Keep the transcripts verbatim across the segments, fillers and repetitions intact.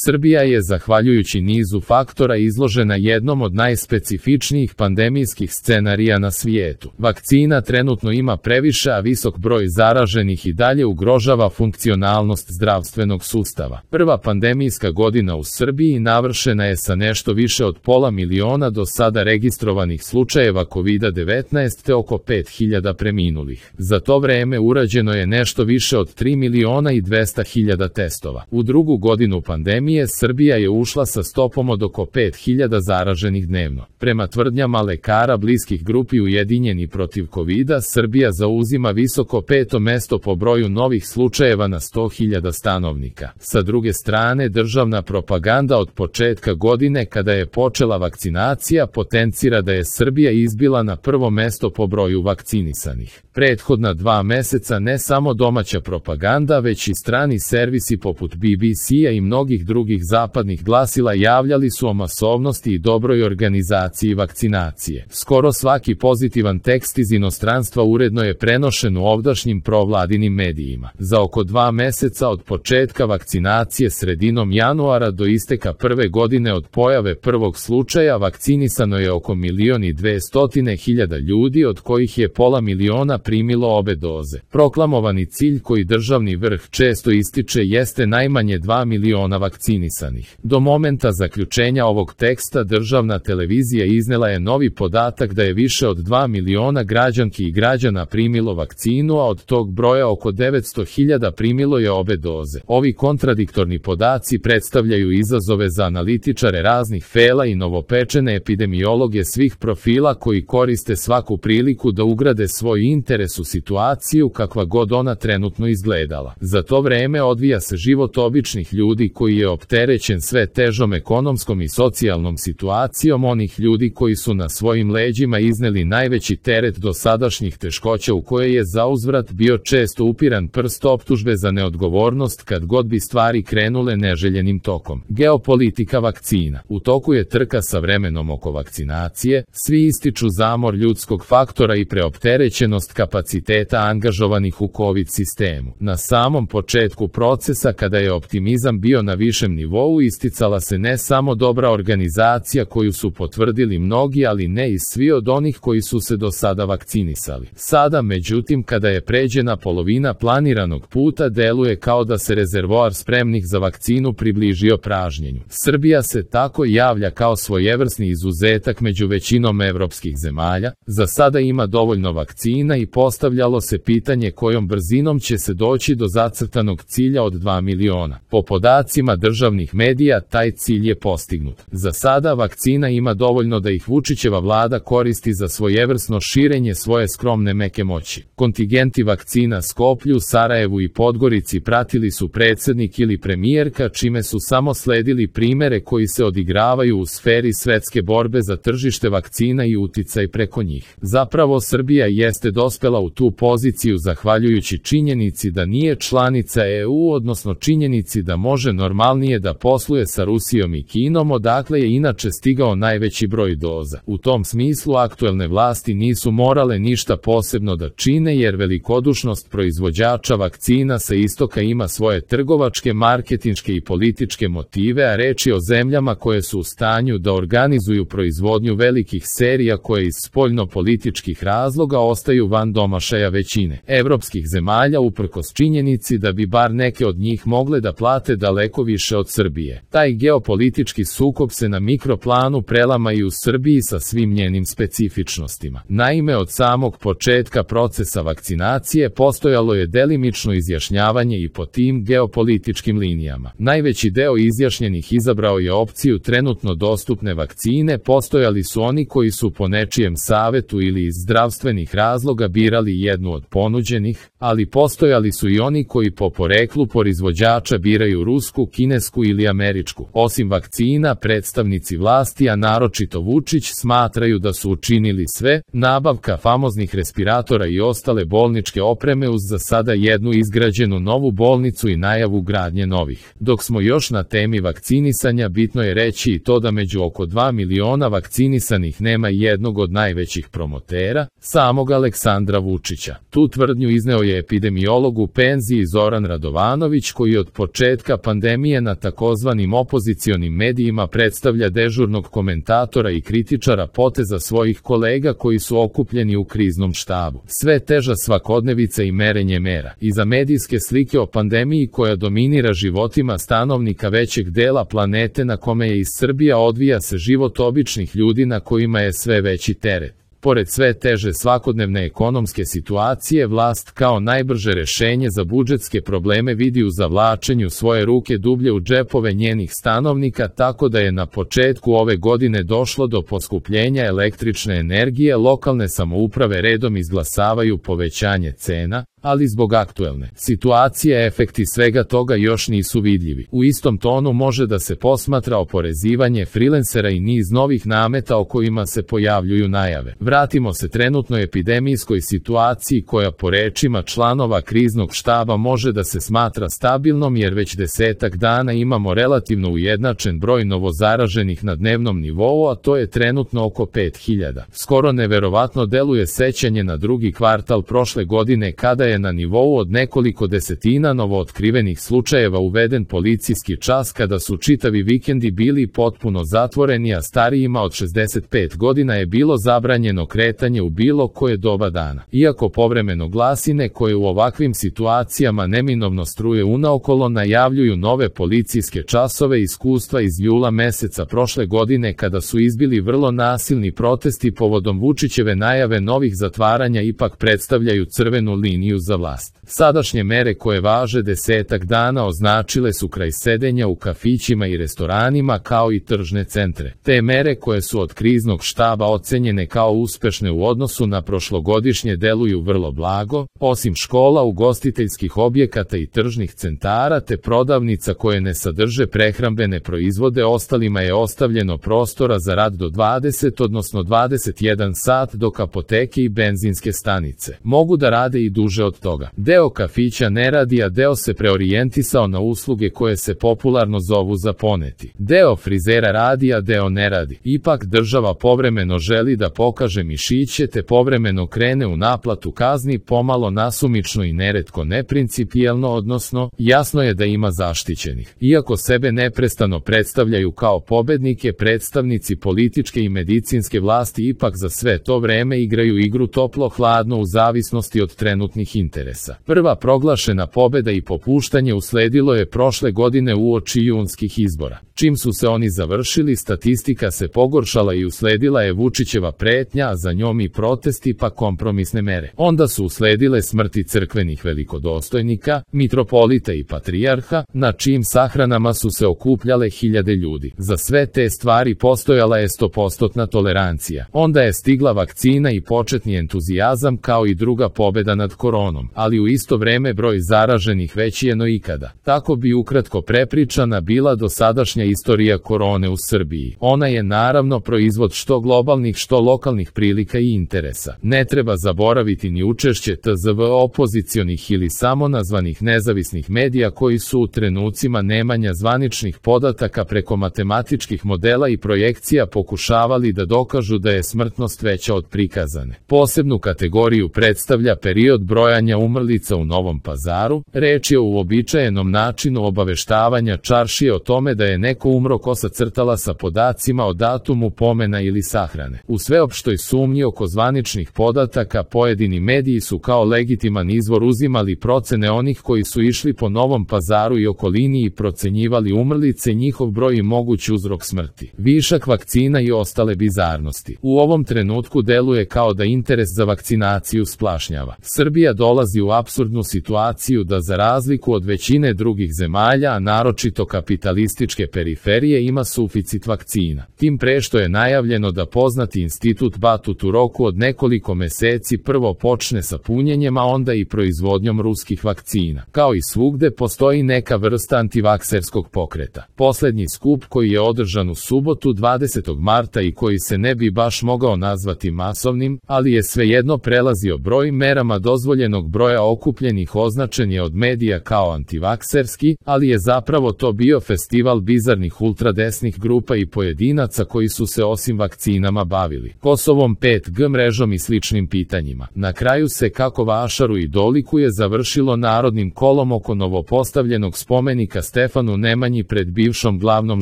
Srbija je, zahvaljujući nizu faktora, izložena jednom od najspecifičnijih pandemijskih scenarija na svijetu. Vakcina trenutno ima previše, a visok broj zaraženih i dalje ugrožava funkcionalnost zdravstvenog sustava. Prva pandemijska godina u Srbiji navršena je sa nešto više od pola miliona do sada registrovanih slučajeva kovida devetnaest te oko pet hiljada preminulih. Za to vreme urađeno je nešto više od tri miliona i dvesta hiljada testova. U drugu godinu pandemije Srbija je ušla sa stopom od oko pet hiljada zaraženih dnevno. Prema tvrdnjama lekara bliskih grupi Ujedinjeni protiv kovida, Srbija zauzima visoko peto mesto po broju novih slučajeva na sto hiljada stanovnika. Sa druge strane, državna propaganda od početka godine, kada je počela vakcinacija, potencira da je Srbija izbila na prvo mesto po broju vakcinisanih. Prethodna dva meseca ne samo domaća propaganda, već i strani servisi poput B B C-a i mnogih drugih zapadnih glasila javljali su o masovnosti i dobroj organizaciji vakcinacije. Skoro svaki pozitivan tekst iz inostranstva uredno je prenošen u ovdašnjim provladinim medijima. Za oko dva meseca od početka vakcinacije sredinom januara do isteka prve godine od pojave prvog slučaja vakcinisano je oko milion i dvestotine hiljada ljudi, od kojih je pola miliona primilo obe doze. Proklamovani cilj koji državni vrh često ističe jeste najmanje dva miliona vakcinisanih. Do momenta zaključenja ovog teksta državna televizija iznela je novi podatak da je više od dva miliona građanki i građana primilo vakcinu, a od tog broja oko devetsto hiljada primilo je obe doze. Ovi kontradiktorni podaci predstavljaju izazove za analitičare raznih fela i novopečene epidemiologe svih profila koji koriste svaku priliku da ugrade svoj interes u situaciju kakva god ona trenutno izgledala. Za to vreme odvija se život običnih ljudi koji je opterećen sve težom ekonomskom i socijalnom situacijom onih ljudi koji su na svojim leđima izneli najveći teret dosadašnjih teškoća, u koje je zauzvrat bio često upiran prst optužbe za neodgovornost kad god bi stvari krenule neželjenim tokom. Geopolitika vakcina. U toku je trka sa vremenom oko vakcinacije, svi ističu zamor ljudskog faktora i preopterećenost kapaciteta angažovanih u COVID sistemu. Na samom početku procesa, kada je optimizam bio na višem nivou, isticala se ne samo dobra organizacija koju su potvrdili mnogi, ali ne i svi od onih koji su se do sada vakcinisali. Sada, međutim, kada je pređena polovina planiranog puta, deluje kao da se rezervoar spremnih za vakcinu približio pražnjenju. Srbija se tako javlja kao svojevrsni izuzetak među većinom evropskih zemalja. Za sada ima dovoljno vakcina i postavljalo se pitanje kojom brzinom će se doći do zacrtanog cilja od dva miliona. Po podacima državnih medija, taj cilj je postignut. Za sada vakcina ima dovoljno da ih Vučićeva vlada koristi za svojevrsno širenje svoje skromne meke moći. Kontingenti vakcina Skoplju, Sarajevu i Podgorici pratili su predsjednik ili premijerka, čime su samo sledili primere koji se odigravaju u sferi svetske borbe za tržište vakcina i uticaj preko njih. Zapravo, Srbija jeste dospela u tu poziciju zahvaljujući činjenici da nije članica E U, odnosno činjenici da može normalnije da posluje sa Rusijom i Kinom, odakle je inače stigao najveći broj doza. U tom smislu aktuelne vlasti nisu morale ništa posebno da čine, jer velikodušnost proizvođača vakcina sa istoka ima svoje trgovačke, marketinške i političke motive, a reč je o zemljama koje su u stanju da organizuju proizvodnju velikih serija koje iz spoljno-političkih razloga ostaju van domašaja većine evropskih zemalja, uprkos činjenici da bi bar neke od njih mogle da plate daleko više od Srbije. Taj geopolitički sukob se na mikroplanu prelama i u Srbiji sa svim njenim specifičnostima. Naime, od samog početka procesa vakcinacije postojalo je delimično izjašnjavanje i po tim geopolitičkim linijama. Najveći deo izjašnjenih izabrao je opciju trenutno dostupne vakcine, postojali su oni koji su po nečijem savetu ili iz zdravstvenih razloga birali jednu od ponuđenih, ali postojali su i oni koji po poreklu proizvođača biraju rusku, kinesku ili američku. Osim vakcina, predstavnici vlasti, a naročito Vučić, smatraju da su učinili sve. Nabavka famoznih respiratora i ostale bolničke opreme uz za sada jednu izgrađenu novu bolnicu i najavu gradnje novih. Dok smo još na temi vakcinisanja, bitno je reći i to da među oko dva miliona vakcinisanih nema jednog od najvećih promotera, samog Aleksandra Vučića. Tu tvrdnju izneo je epidemiolog u penziji Zoran Radovanović, koji od početka pandemije pandemije na takozvanim opozicionim medijima predstavlja dežurnog komentatora i kritičara poteza svojih kolega koji su okupljeni u kriznom štabu. Sve teža svakodnevica i merenje mera. Iza medijske slike o pandemiji koja dominira životima stanovnika većeg dela planete na kome je iz Srbija odvija se život običnih ljudi na kojima je sve veći teret. Pored sve teže svakodnevne ekonomske situacije, vlast kao najbrže rešenje za budžetske probleme vidi u zavlačenju svoje ruke dublje u džepove njenih stanovnika, tako da je na početku ove godine došlo do poskupljenja električne energije. Lokalne samouprave redom izglasavaju povećanje cena, ali zbog aktuelne situacije efekti svega toga još nisu vidljivi. U istom tonu može da se posmatra oporezivanje frilensera i niz novih nameta o kojima se pojavljuju najave. Vratimo se trenutnoj epidemijskoj situaciji koja po rečima članova kriznog štaba može da se smatra stabilnom jer već desetak dana imamo relativno ujednačen broj novozaraženih na dnevnom nivou, a to je trenutno oko pet hiljada. Skoro neverovatno deluje sećanje na drugi kvartal prošle godine kada je na nivou od nekoliko desetina novootkrivenih slučajeva uveden policijski čas kada su čitavi vikendi bili potpuno zatvoreni, a starijima od šezdeset pet godina je bilo zabranjeno kretanje u bilo koje doba dana. Iako povremeno glasine koje u ovakvim situacijama neminovno struje unaokolo najavljuju nove policijske časove, iskustva iz jula meseca prošle godine kada su izbili vrlo nasilni protesti povodom Vučićeve najave novih zatvaranja ipak predstavljaju crvenu liniju za vlast. Sadašnje mere koje važe desetak dana označile su kraj sedenja u kafićima i restoranima kao i tržne centre. Te mere koje su od kriznog štaba ocenjene kao uspešne u odnosu na prošlogodišnje deluju vrlo blago, osim škola, ugostiteljskih objekata i tržnih centara te prodavnica koje ne sadrže prehrambene proizvode, ostalima je ostavljeno prostora za rad do dvadeset odnosno dvadeset jedan sat, dok apoteke i benzinske stanice mogu da rade i duže od toga. Deo kafića ne radi, a deo se preorijentisao na usluge koje se popularno zovu za poneti. Deo frizera radi, a deo ne radi. Ipak država povremeno želi da pokaže mišiće te povremeno krene u naplatu kazni, pomalo nasumično i neretko neprincipijelno, odnosno jasno je da ima zaštićenih. Iako sebe neprestano predstavljaju kao pobednike, predstavnici političke i medicinske vlasti ipak za sve to vreme igraju igru toplo-hladno u zavisnosti od trenutnih interesa. Prva proglašena pobeda i popuštanje usledilo je prošle godine uoči junskih izbora. Čim su se oni završili, statistika se pogoršala i usledila je Vučićeva pretnja, a za njom i protesti pa kompromisne mere. Onda su usledile smrti crkvenih velikodostojnika, mitropolita i patrijarha, na čijim sahranama su se okupljale hiljade ljudi. Za sve te stvari postojala je stopostotna tolerancija. Onda je stigla vakcina i početni entuzijazam kao i druga pobeda nad koronom, ali u isto vreme broj zaraženih veći je no ikada. Tako bi ukratko prepričana bila dosadašnja istorija korone u Srbiji. Ona je naravno proizvod što globalnih što lokalnih prilika i interesa. Ne treba zaboraviti ni učešće T Z V opozicionih ili samonazvanih nezavisnih medija koji su u trenucima nemanja zvaničnih podataka preko matematičkih modela i projekcija pokušavali da dokažu da je smrtnost veća od prikazane. Posebnu kategoriju predstavlja period brojanja umrlica u Novom Pazaru. Reč je o uobičajenom načinu obaveštavanja čaršije o tome da je neko umro ko sacrtala sa podacima o datumu pomena ili sahrane. U sveopštoj sumnji oko zvaničnih podataka pojedini mediji su kao legitiman izvor uzimali procene onih koji su išli po Novom Pazaru i okolini i procenjivali umrlice, njihov broj i moguć uzrok smrti, višak vakcina i ostale bizarnosti. U ovom trenutku deluje kao da interes za vakcinaciju splašnjava. Srbija dolazi u apsurdnu situaciju da za razliku od većine drugih zemalja, a naročito kapitalističke periferije, ima suficit vakcina. Tim pre što je najavljeno da poznati institut Batut u roku od nekoliko meseci prvo počne sa punjenjem, a onda i proizvodnjom ruskih vakcina. Kao i svugde postoji neka vrsta antivakserskog pokreta. Poslednji skup koji je održan u subotu dvadesetog marta i koji se ne bi baš mogao nazvati masovnim, ali je svejedno prelazio broj merama dozvoljenog određenog broja okupljenih označen je od medija kao antivakserski, ali je zapravo to bio festival bizarnih ultradesnih grupa i pojedinaca koji su se osim vakcinama bavili Kosovom pet G mrežom i sličnim pitanjima. Na kraju se, kako vašaru i dolikuje, završilo narodnim kolom oko novopostavljenog spomenika Stefanu Nemanji pred bivšom glavnom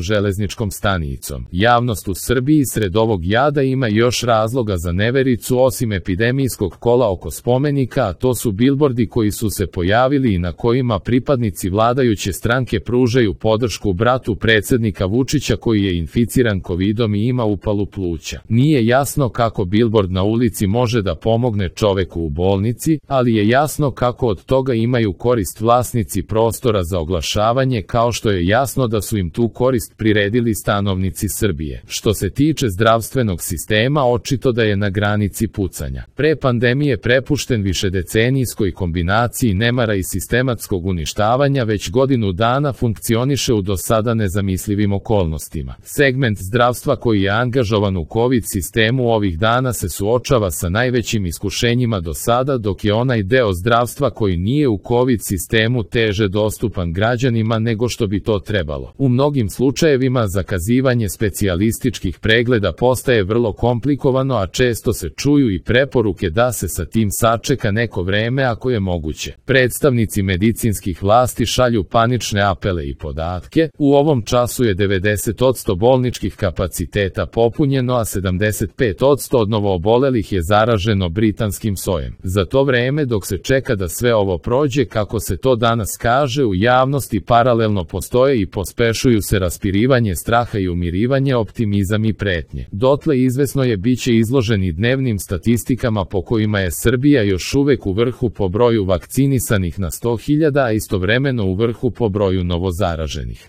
železničkom stanicom. Javnost u Srbiji sred ovog jada ima još razloga za nevericu osim epidemijskog kola oko spomenika, a to su bilbordi koji su se pojavili i na kojima pripadnici vladajuće stranke pružaju podršku bratu predsjednika Vučića koji je inficiran kovidom i ima upalu pluća. Nije jasno kako bilbord na ulici može da pomogne čoveku u bolnici, ali je jasno kako od toga imaju korist vlasnici prostora za oglašavanje, kao što je jasno da su im tu korist priredili stanovnici Srbije. Što se tiče zdravstvenog sistema, očito da je na granici pucanja. Pre pandemije prepušten višedecenijskoj kombinaciji nemara i sistematskog uništavanja, već godinu dana funkcioniše u do sada nezamislivim okolnostima. Segment zdravstva koji je angažovan u COVID sistemu ovih dana se suočava sa najvećim iskušenjima do sada, dok je onaj deo zdravstva koji nije u COVID sistemu teže dostupan građanima nego što bi to trebalo. U mnogim slučajevima zakazivanje specijalističkih pregleda postaje vrlo komplikovano, a često se čuju i preporuke da se sa tim sačeka neko vreme ako je moguće. Predstavnici medicinskih vlasti šalju panične apele i podatke. U ovom času je devedeset posto bolničkih kapaciteta popunjeno, a sedamdeset pet posto od novoobolelih je zaraženo britanskim sojem. Za to vreme dok se čeka da sve ovo prođe, kako se to danas kaže, u javnosti paralelno postoje i pospešuju se raspirivanje straha i umirivanje, optimizam i pretnje. Dotle izvesno je biće izloženi dnevnim statistikama po kojima je Srbija još uvek u vrhu po broju vakcinisanih na sto hiljada, a istovremeno u vrhu po broju novozaraženih.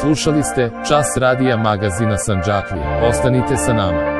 Slušali ste Čas radija magazina Sandžaklija. Ostanite sa nama.